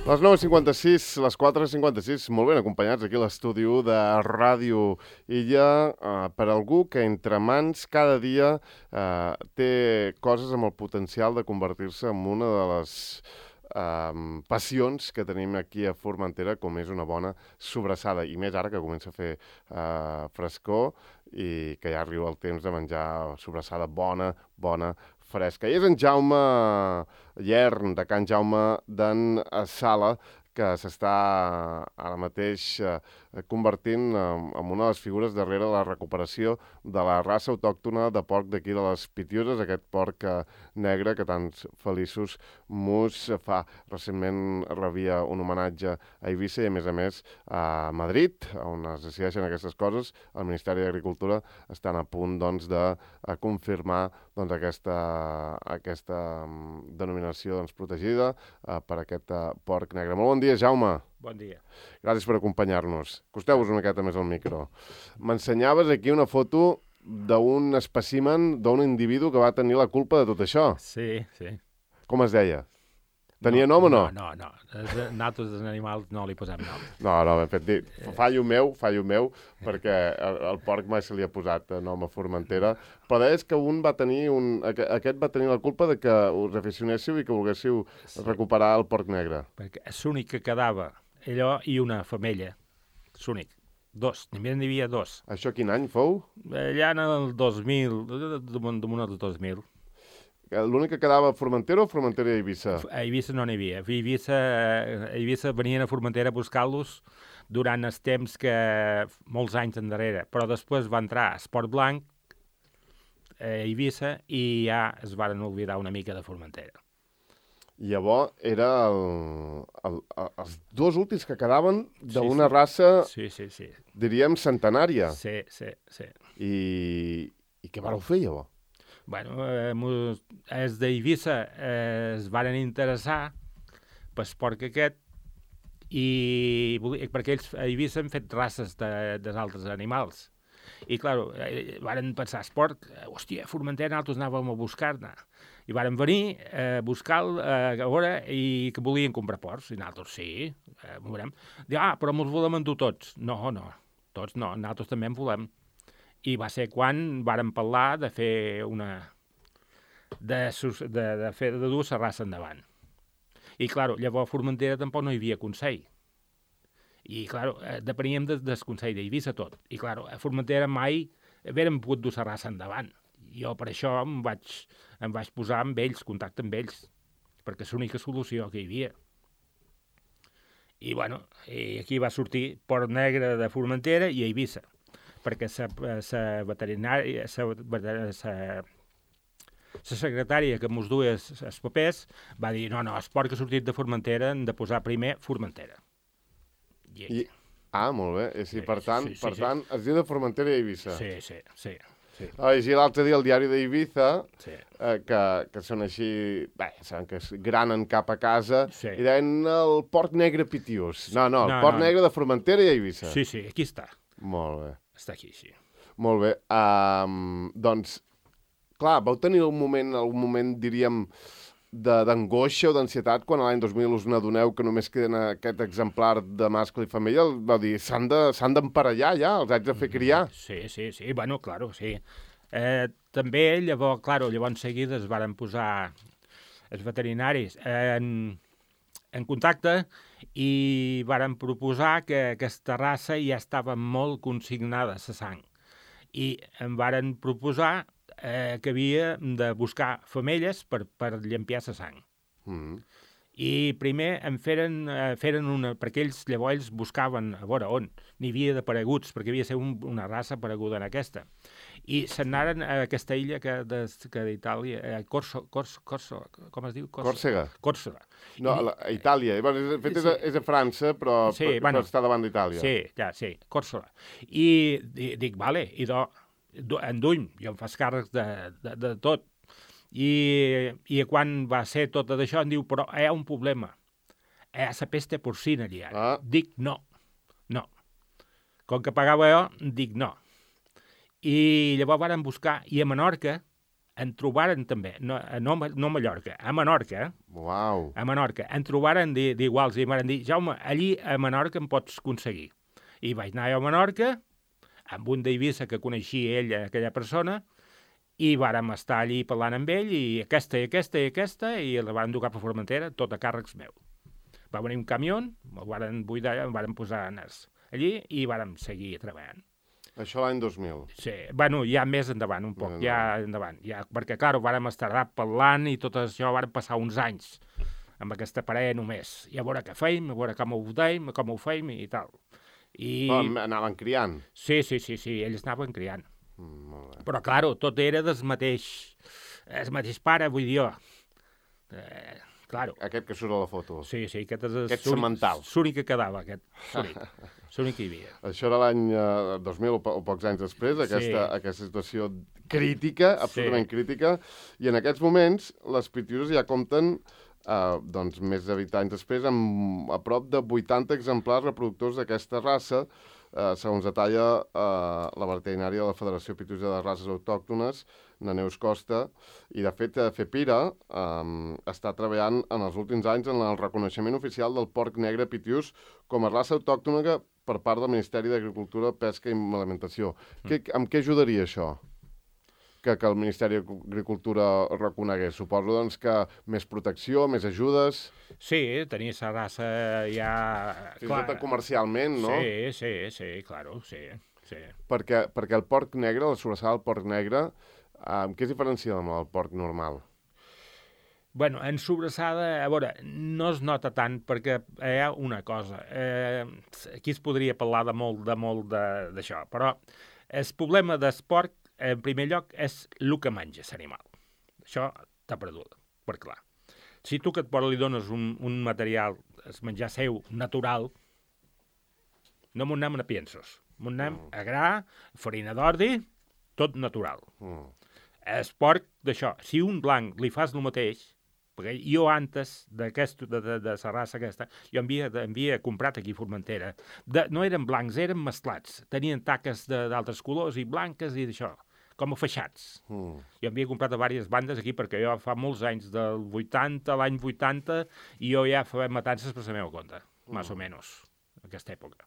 Les 9:56, les 4:56, molt ben acompanyats aquí a l'estudi de Ràdio Illa, per algú que entre mans cada dia té coses amb el potencial de convertir-se en una de les passions que tenim aquí a Formentera, com és una bona sobrassada, i més ara que comença a fer frescor i que ja arriba el temps de menjar sobrassada bona, fresca. I és en Jaume Llern, de Can Jaume d'en Sala, que s'està ara mateix convertint en una de les figures darrere la recuperació de la raça autòctona de porc d'aquí de les Pitiüses, aquest porc negre que tants feliços mus fa. Recentment rebia un homenatge a Eivissa i, a més, a Madrid, on es decideixen aquestes coses. El Ministeri d'Agricultura estan a punt de confirmar aquesta denominació protegida per aquest porc negre. Molt bon dia, Jaume. Bon dia. Gràcies per acompanyar-nos. Acosteu-vos una miqueta més al micro. M'ensenyaves aquí una foto d'un espècimen, d'un individu que va tenir la culpa de tot això. Sí, sí. Com es deia? Tenia nom o no? No. Nosaltres dels animals no li posem nom. No, ben fet dit. Fallo meu, perquè el porc mai se li ha posat nom a Formentera, però deies que aquest va tenir la culpa de que us aficionéssiu i que volguéssiu recuperar el porc negre. Perquè és l'únic que quedava, allò i una femella. És l'únic. N'hi havia dos. Això quin any fou? Allà en el 2000, damunt dels 2000. L'únic que quedava a Formentera o Formentera i Eivissa? A Eivissa no n'hi havia. A Eivissa venien a Formentera a buscar-los durant els temps que molts anys endarrere, però després va entrar Esport Blanc a Eivissa i ja es van oblidar una mica de Formentera. Llavors era els dos últims que quedaven d'una raça, sí. diríem, centenària. Sí. I què vareu fer, llavors? Bueno, els d'Eivissa es varen interessar pel porc aquest perquè ells a Eivissa han fet races dels altres animals. I, clar, varen pensar, porc, hòstia, a Formentera nosaltres anàvem a buscar-ne. I varen venir a buscar-lo a veure i que volien comprar porcs. I nosaltres, sí, m'ho veurem. Diu, però ens volem endur tots. No, tots no, nosaltres també en volem. I va ser quan vàrem parlar de fer de dur la raça endavant. I, clar, llavors a Formentera tampoc no hi havia consell. I, clar, depeníem del consell d'Eivissa tot. I, clar, a Formentera mai haguérem pogut dur la raça endavant. Jo per això em vaig posar amb ells, contacte amb ells, perquè és l'única solució que hi havia. I, bueno, aquí va sortir porc negre de Formentera i Eivissa, perquè la veterinària, la secretària que mos duia els papers va dir, no, el porc que ha sortit de Formentera hem de posar primer Formentera. Molt bé. Sí, per tant, es diu de Formentera i Eivissa. Sí. I l'altre dia el diari d'Eivissa, que són així, saben que es granen cap a casa, i deien el porc negre pitiús. No, el porc negre de Formentera i Eivissa. Sí, aquí està. Molt bé. Està aquí, sí. Molt bé. Doncs, clar, vau tenir algun moment, diríem, d'angoixa o d'ansietat quan l'any 2000 us n'adoneu que només queden aquest exemplar de mascle i femella? Vau dir, s'han d'emparellar ja, els haig de fer criar. Sí, bueno, claro, sí. També, llavors seguida es varen posar els veterinaris en contacte i varen proposar que aquesta raça ja estava molt consignada a la sang. I em varen proposar que havia de buscar femelles per llampiar la sang. I primer em feren una, perquè llavors buscaven a veure on n'hi havia d'apareguts, perquè havia de ser una raça apareguda en aquesta. I se'n anaren a aquesta illa que d'Itàlia, com es diu? Còrsega. No, a Itàlia. De fet, és a França, però està davant d'Itàlia. Sí, Còrsega. I dic, vale, enduny, jo em fas càrrecs de tot. I quan va ser tot això em diu, però hi ha un problema. Hi ha la peste porcina allà. Dic, no. Com que pagava jo, dic no. I llavors varen buscar, i a Menorca en trobaren també, no a Mallorca, a Menorca, Uau. a Menorca, en trobaren d'iguals i em van dir, Jaume, allí a Menorca em pots aconseguir. I vaig anar a Menorca, amb un d'Eivissa que coneixia ell, aquella persona, i vàrem estar allí parlant amb ell, i aquesta, i la van dur cap a Formentera, tot a càrrecs meu. Va venir un camió, el varen buidar, el varen posar allí i vàrem seguir treballant. Això l'any 2000. Sí, bueno, ja més endavant, un poc, ja endavant. Ja, perquè, clar, vàrem estar parlant i tot això, vàrem passar uns anys amb aquesta parella només. I a veure què feim, a veure com ho feim i tal. Anaven criant? Sí, ells anaven criant. Molt bé. Però, clar, tot era el mateix pare, vull dir jo. Claro. Aquest que surt a la foto. Sí, aquest és aquest semental. L'únic que quedava, aquest. L'únic que hi havia. Això era l'any 2000 o pocs anys després, aquesta situació crítica, absolutament crítica, i en aquests moments les Pitiuses ja compten doncs, més de 20 anys després, amb a prop de 80 exemplars reproductors d'aquesta raça, segons detalla la veterinària de la Federació Pitiusa de Races Autòctones, na Neus Costa, i de fet FEPIRA està treballant en els últims anys en el reconeixement oficial del porc negre pitiús com a raça autòctona per part del Ministeri d'Agricultura, Pesca i Alimentació. Amb què ajudaria això? Que el Ministeri d'Agricultura reconegués? Suposo doncs, que més protecció, més ajudes... Sí, tenir aquesta raça ja... Fins i tot comercialment, no? Sí, claro, sí. Perquè el porc negre, la sobrassada del porc negre, què es diferencia amb el porc normal? Bueno, en sobrassada, a veure, no es nota tant perquè hi ha una cosa. Aquí es podria parlar de molt d'això, però el problema del porc, en primer lloc, és el que menja l'animal. Això t'ha perdut, per clar. Si tu que li dones un material, el menjar seu, natural, no m'ho anem a piensos. M'ho anem a gra, farina d'ordi, tot natural. El porc, d'això, si un blanc li fas el mateix, perquè jo antes de la raça aquesta, jo havia comprat aquí a Formentera. No eren blancs, eren mesclats. Tenien taques d'altres colors i blanques i d'això, com a feixats. Jo havia comprat a diverses bandes aquí perquè jo fa molts anys, del 80, l'any 80, i jo ja feia matances per la meva compte, més o menys, en aquesta època.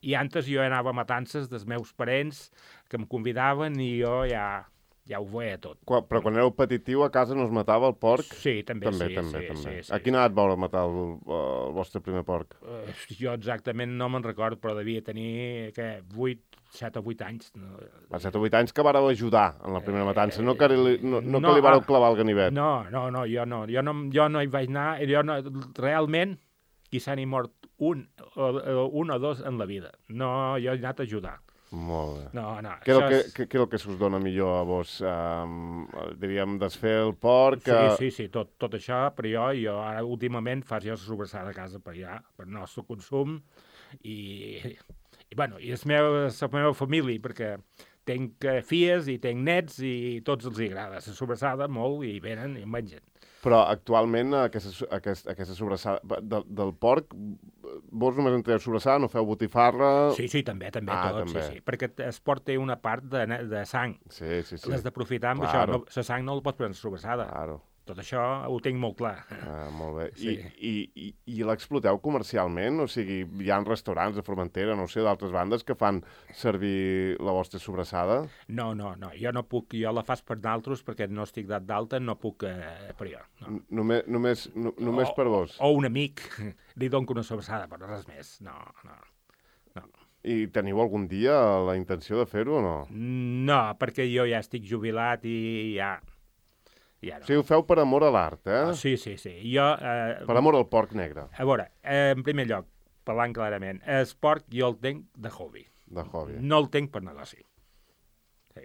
I antes jo anava a matances dels meus parents que em convidaven i jo ja ho veia tot. Però quan éreu petitiu a casa no es matava el porc? Sí, també. Sí. A quina edat vau matar el vostre primer porc? Jo exactament no me'n recordo, però devia tenir 7 o 8 anys. 7 o 8 anys que vareu ajudar en la primera matança, no que li vareu clavar el ganivet. No, jo no hi vaig anar, realment, qui s'ha ni mort un o dos en la vida. No, jo he anat a ajudar. Molt bé. No. Què és el que s'us dona millor a vos? Diríem, desfer el porc... Sí, tot això, però jo ara últimament faig jo sobrassada a casa per el nostre consum, i la meva família, perquè tinc filles i tinc nets i tots els agrada. La sobrassada molt i venen i mengen. Però actualment aquesta sobrassada del porc, vos només en treu sobrassada, no feu botifarra... Sí, també, sí. Perquè el porc té una part de sang. Sí. L'has d'aprofitar amb això. La sang no la pots prendre sobrassada. Claro. Tot això ho tinc molt clar. Molt bé. Sí. I l'exploteu comercialment? O sigui, hi ha restaurants de Formentera, no sé, d'altres bandes que fan servir la vostra sobrassada? No. Jo no puc. Jo la faig per d'altres perquè no estic dat d'alta, no puc per jo. No. Només per vos? O un amic li dono una sobrassada, però res més. No. I teniu algun dia la intenció de fer-ho o no? No, perquè jo ja estic jubilat i ja no. O sigui, ho feu per amor a l'art, eh? Sí. Jo, per amor al porc negre. A veure, en primer lloc, parlant clarament, el porc jo el tinc de hobby. No el tinc per negoci. Sí.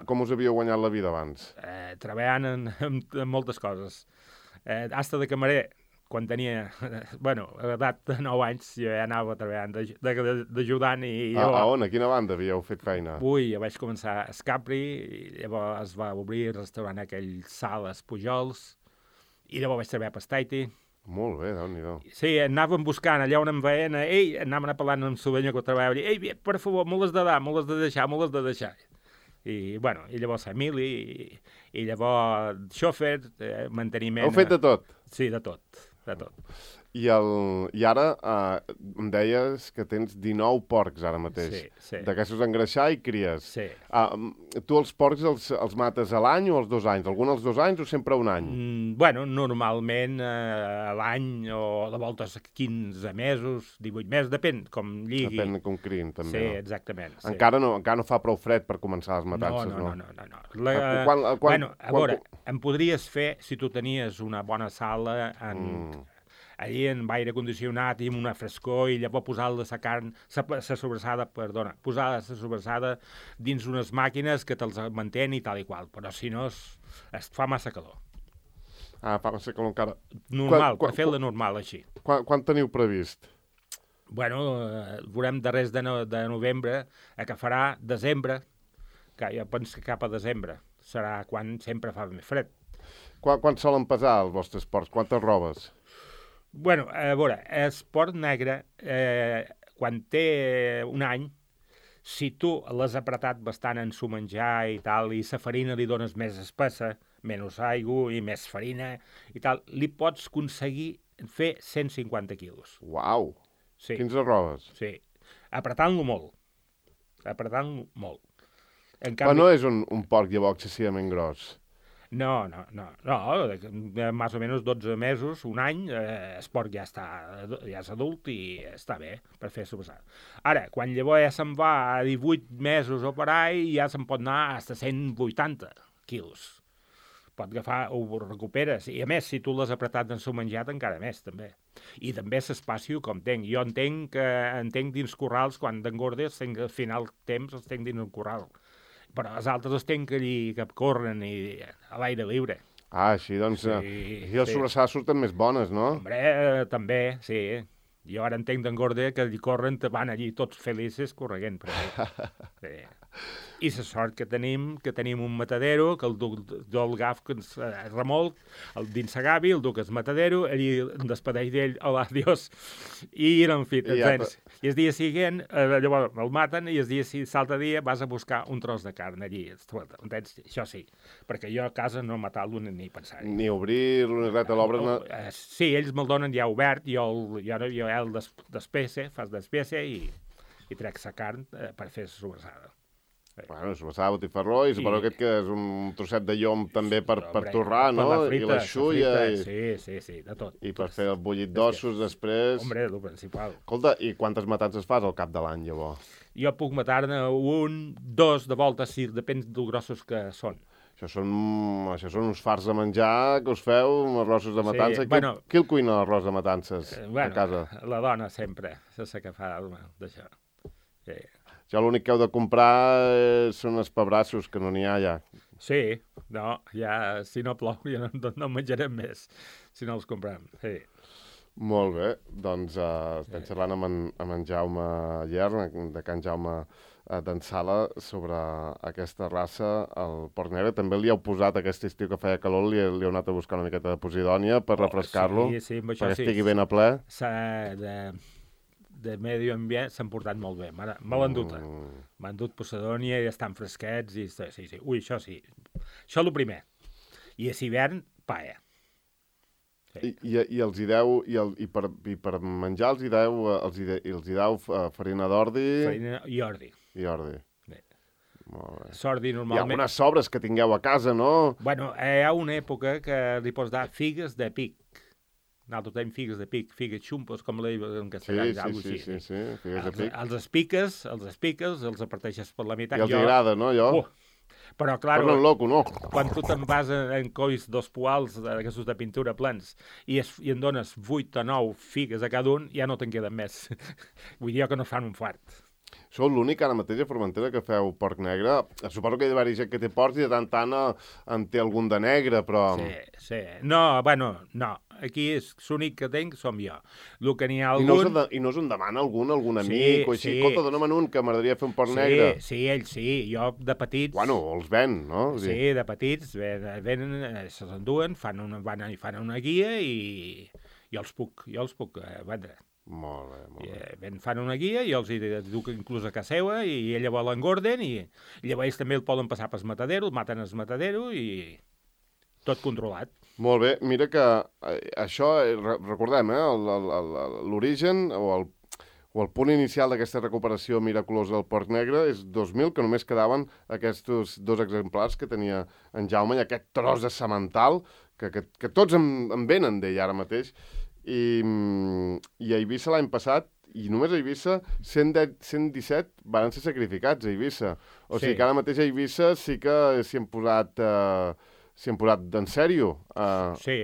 Com us havíeu guanyat la vida abans? Treballant en moltes coses. Hasta de camarer, quan tenia, a l'edat de 9 anys, jo ja anava treballant d'ajudant i jo... A on? A quina banda havíeu fet feina? Jo vaig començar a Escapri, i llavors es va obrir el restaurant aquell Sales Pujols, i llavors vaig treballar per Staiti. Molt bé, Déu-n'hi-do. Sí, anàvem buscant allà on em veien, anàvem parlant amb Sovenya que treballava, per favor, me l'has de dar, me l'has de deixar. I, bueno, i llavors família, i llavors xòfer, manteniment... Heu fet de tot? Sí, de tot, de tot. I ara em deies que tens 19 porcs ara mateix. Sí, sí. D'aquestos engreixar i cries. Sí. Tu els porcs els mates a l'any o als 2 anys? Algun als 2 anys o sempre a un any? Bueno, normalment a l'any o de voltes 15 mesos, 18 mesos, depèn com lligui. Depèn com crien, també. Sí, no? exactament. Sí. Encara no fa prou fred per començar les matances, no? No. Bueno, a veure, em podries fer si tu tenies una bona sala allí en aire condicionat i amb una frescor i llavors posar la carn, la sobrassada, posar la sobrassada dins unes màquines que te'ls mantén i tal i qual, però si no es fa massa calor. Fa massa calor encara. Normal, per fer-la normal, així. Quan teniu previst? Bueno, veurem darrers de novembre, que farà desembre, que jo penso que cap a desembre serà quan sempre fa més fred. Quan solen pesar els vostres porcs? Quantes robes? Bueno, a veure, el porc negre, quan té un any, si tu l'has apretat bastant en su menjar i tal, i la farina li dones més espessa, menys aigua i més farina i tal, li pots aconseguir fer 150 quilos. Uau! Sí. 15 robes? Sí. Apretant-lo molt. En canvi... Però no és un porc llavors excessivament gros. No, més o menys 12 mesos, un any, el porc ja és adult i està bé per fer sobrassada. Ara, quan llavors ja se'n va a 18 mesos o per ahí, ja se'n pot anar a 180 quilos. Pot agafar, ho recuperes. I a més, si tu l'has apretat en seu menjat, encara més, també. I també l'espacio com tenc. Jo entenc dins corrals, quan d'engordes, al final temps els tenc dins un corral. Però els altres els tenc allí que corren i a l'aire lliure. Així, doncs, i les sobrassades surten més bones, no? Hombre, també, sí. Jo ara entenc d'engorda que allí corren, van allí tots felices corregent. Sí. I la sort que tenim un matadero, que el duc del gaf que ens remolc, el dins la gavi, el duc el matadero, allí em despedeix d'ell, hola, adiós, i en fi, i el dia següent, llavors el maten, i el dia l'altre dia vas a buscar un tros de carn allí, entens? Això sí, perquè jo a casa no matar-lo ni pensar-hi. Ni obrir-lo, ni res de l'obra. Sí, ells me'l donen ja obert, jo el despece, fas despece i trec la carn per fer la sobrassada. Bueno, sobrassada, botifarró, i suposo que és un trosset de llom també per torrar, no? I la xulla. Sí, de tot. I per fer el bullit d'ossos després. Hombre, el principal. Escolta, i quantes matances fas al cap de l'any, llavors? Jo puc matar-ne 1, 2 de volta, si depèn de grossos que són. Això són uns farts de menjar que us feu, uns arrossos de matança. Sí, bueno, qui el cuina l'arròs de matances a casa? La dona sempre, és la que fa d'això. Sí. Jo l'únic que heu de comprar són els pebrassos, que no n'hi ha ja. Sí, no, ja, si no plou ja no menjarem més, si no els comprem, sí. Molt bé, doncs estem xerrant amb en Jaume Llert, de Can Jaume d'en Sala, sobre aquesta raça, el porc negre. També li heu posat aquest estiu que feia calor, li heu anat a buscar una miqueta de posidònia per refrescar-lo, perquè estigui ben a ple. De medi ambient s'han portat molt bé, me l'han dut. M'han dut posidònia i estan fresquets, i sí. Ui, això sí. Això és el primer. I a l'hivern, paella. Sí. I els hi deu, i per menjar els hi deu farina d'ordi? Farina i ordi. I ordi. Bé. Molt bé. Sordi normalment... Hi ha algunes sobres que tingueu a casa, no? Bueno, hi ha una època que li pots dar figues de pic. Nosaltres tenim figues de pic, figues xumpos, com la en castellà, sí, figues de pic. Els espiques, els aparteixes per la meitat. I els agrada, no, allò? Però, clar, loco, no? Quan tu te'n vas en cois dos poals d'aquestos de pintura plens i en dones 8 o 9 figues a cada un, ja no te'n queden més. Vull dir que no fan un fart. Sou l'únic ara mateix a Formentera que feu porc negre. Suposo que hi ha d'haver gent que té porcs i de tant en té algun de negre, però... Sí. No, no. Aquí l'únic que tenc som jo. El que n'hi ha algun... I no us en demana algun amic o així? Escolta, dona'm un que m'agradaria fer un porc negre. Sí, ells sí. Jo de petits... Bueno, els ven, no? Sí, de petits venen, se'ls enduen, fan una guia i jo els puc vendre. Molt bé, molt bé. Fan una guia i els hi duc inclús a casa seva i llavors l'engorden i llavors ells també el poden passar pel matadero, el maten al matadero i tot controlat. Molt bé, mira que això, recordem, l'origen o el punt inicial d'aquesta recuperació miraculosa del porc negre és 2000, que només quedaven aquests 2 exemplars que tenia en Jaume i aquest tros de semental que tots en venen d'ell ara mateix. I a Eivissa l'any passat, i només a Eivissa, 117 van ser sacrificats a Eivissa. O sigui que ara mateix a Eivissa sí que s'hi han posat d'en sèrio. Sí.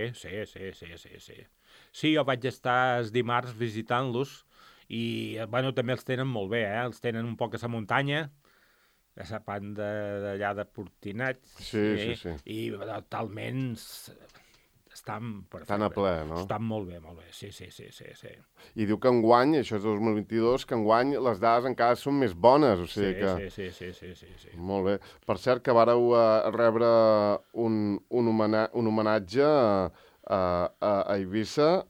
Sí, jo vaig estar els dimarts visitant-los i, bueno, també els tenen molt bé, Els tenen un poc a la muntanya, a la banda d'allà de Portinat. Sí. I totalment estan perfectes. Estan a ple, no? Estan molt bé, sí. I diu que enguany, això és 2022, que enguany les dades encara són més bones, o sigui que... Sí. Molt bé. Per cert, que vareu rebre un homenatge a Eivissa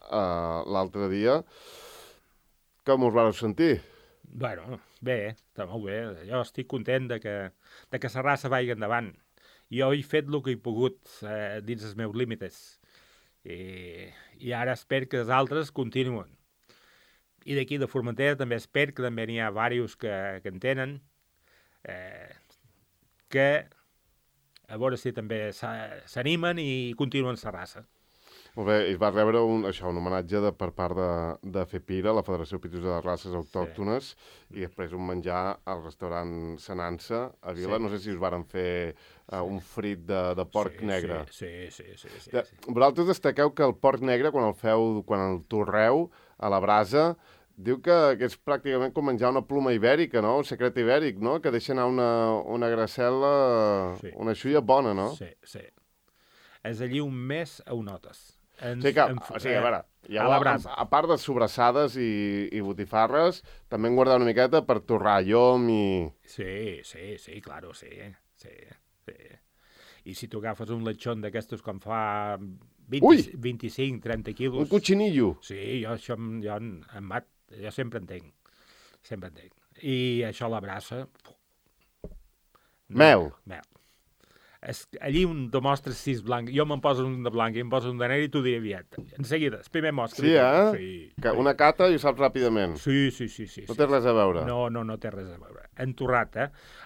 l'altre dia. Com us vareu sentir? Bueno, bé, està molt bé. Jo estic content de que la raça vagi endavant. Jo he fet el que he pogut dins els meus límits. I ara espero que els altres continuen. I d'aquí de Formentera també espero que també n'hi ha diversos que en tenen, que a veure si també s'animen i continuen la raça. Molt bé, es va rebre un homenatge per part de FEPIRA, la Federació Pitos de les Races Autòctones, i després un menjar al restaurant Senança a Vila. No sé si us varen fer un frit de porc negre. Sí. Vosaltres destaqueu que el porc negre, quan el torreu a la brasa, diu que és pràcticament com menjar una pluma ibèrica, no? Un secret ibèric, no? Que deixa anar una gracel·la, una xulla bona, no? Sí. És allí un mes ho notes. A veure, a part de sobrassades i botifarres, també hem guardat una miqueta per torrar llom i... Sí, claro, sí. I si tu agafes un lechón d'aquestos com fa 25-30 quilos... Un cochinillo! Sí, jo sempre entenc. I això a la brasa... Mel. Allí un demostres si és blanc. Jo me'n poso un de blanc i em poso un de negre i t'ho diré aviat. En seguida, el primer mostre. Sí, Sí. Una cata i ho saps ràpidament. Sí. No té res a veure. No té res a veure. Entorrat,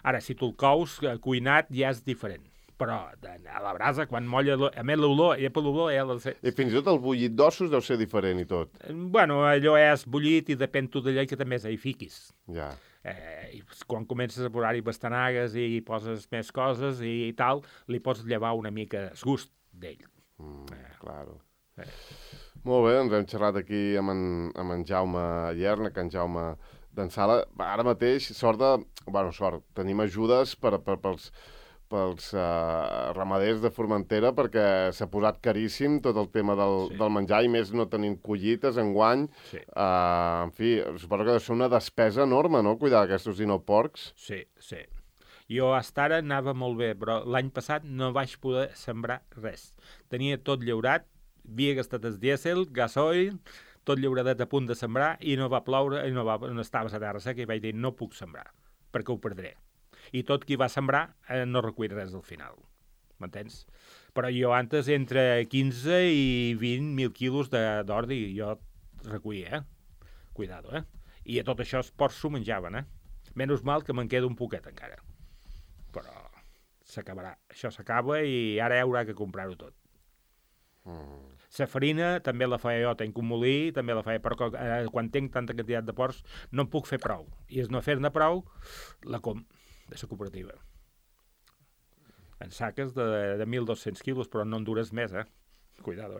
Ara, si tu el cous cuinat ja és diferent. Però a la brasa, quan molla, a més l'olor, ja per l'olor ja la sé. I fins i tot el bullit d'ossos deu ser diferent i tot. Bueno, allò és bullit i depèn tot d'allò que també hi fiquis. Ja. I quan comences a posar-hi bastanagues i poses més coses i tal, li pots llevar una mica el gust d'ell. Claro. Molt bé, doncs hem xerrat aquí amb en Jaume Llerna, que en Jaume d'Ensala. Ara mateix, tenim ajudes pels ramaders de Formentera perquè s'ha posat caríssim tot el tema del menjar i més no tenint collites enguany. Sí. En fi, suposo que deu ser una despesa enorme, no?, cuidar aquests dinoporcs. Sí. Jo hasta ara anava molt bé, però l'any passat no vaig poder sembrar res. Tenia tot llaurat, havia gastat el dièsel, gasoil, tot llauradet a punt de sembrar i no va ploure i no estava a la terra seca i vaig dir no puc sembrar, perquè ho perdré. I tot qui va sembrar no recull res al final. M'entens? Però jo antes entre 15 i 20.000 quilos d'ordi jo recollia, Cuidado, I a tot això els porcs s'ho menjaven, Menys mal que me'n queda un poquet encara. Però s'acabarà. Això s'acaba i ara hi haurà que comprar-ho tot. La farina també la feia jo, tenc un molí, també la feia, però quan tinc tanta quantitat de porcs no en puc fer prou. I és no fer-ne prou, la de la cooperativa. En saques de 1.200 quilos, però no en dures més, Cuidado,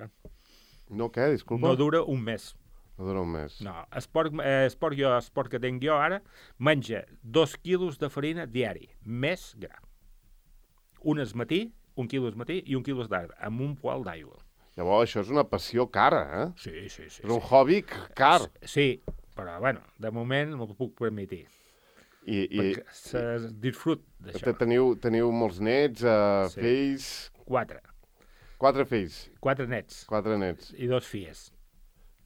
No, què? Disculpa? No dura un mes. No dura un mes. No, el porc que tinc jo ara menja 2 quilos de farina diari, més gra. Un al matí, 1 quilo al matí i 1 quilo d'arbre, amb un poal d'aigua. Llavors, això és una passió cara, Sí. És un hobby car. Sí, però, bueno, de moment m'ho puc permetir. Perquè se disfrut d'això. Teniu molts nets, fills... 4. 4 fills. 4 nets. 4 nets. I 2 filles.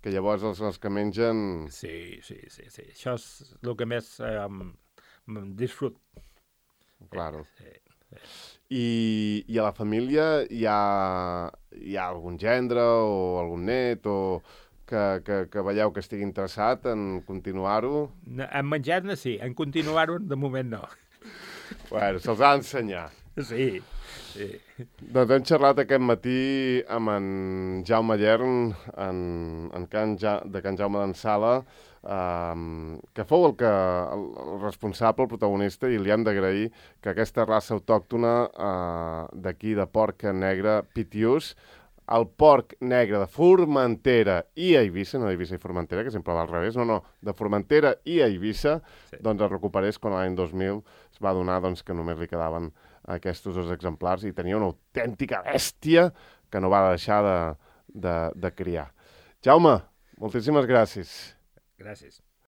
que llavors els que mengen... Sí. Això és el que més disfrut. Claro. Sí. I a la família hi ha algun gendre o algun net o que veieu que estigui interessat en continuar-ho? En menjar-ne sí, en continuar-ho de moment no. Bueno, se'ls ha d'ensenyar. Sí. Doncs hem xerrat aquest matí amb en Jaume Llern, de Can Jaume d'en Sala, que fou el responsable, el protagonista, i li hem d'agrair que aquesta raça autòctona d'aquí de porc negre Pitiús, el porc negre de Formentera i Eivissa, no d'Eivissa i Formentera, que sempre va al revés, no, de Formentera i Eivissa, sí. Doncs es recuperés quan l'any 2000 es va adonar doncs, que només li quedaven aquests 2 exemplars i tenia una autèntica bèstia que no va deixar de criar. Jaume, moltíssimes gràcies. Gràcies.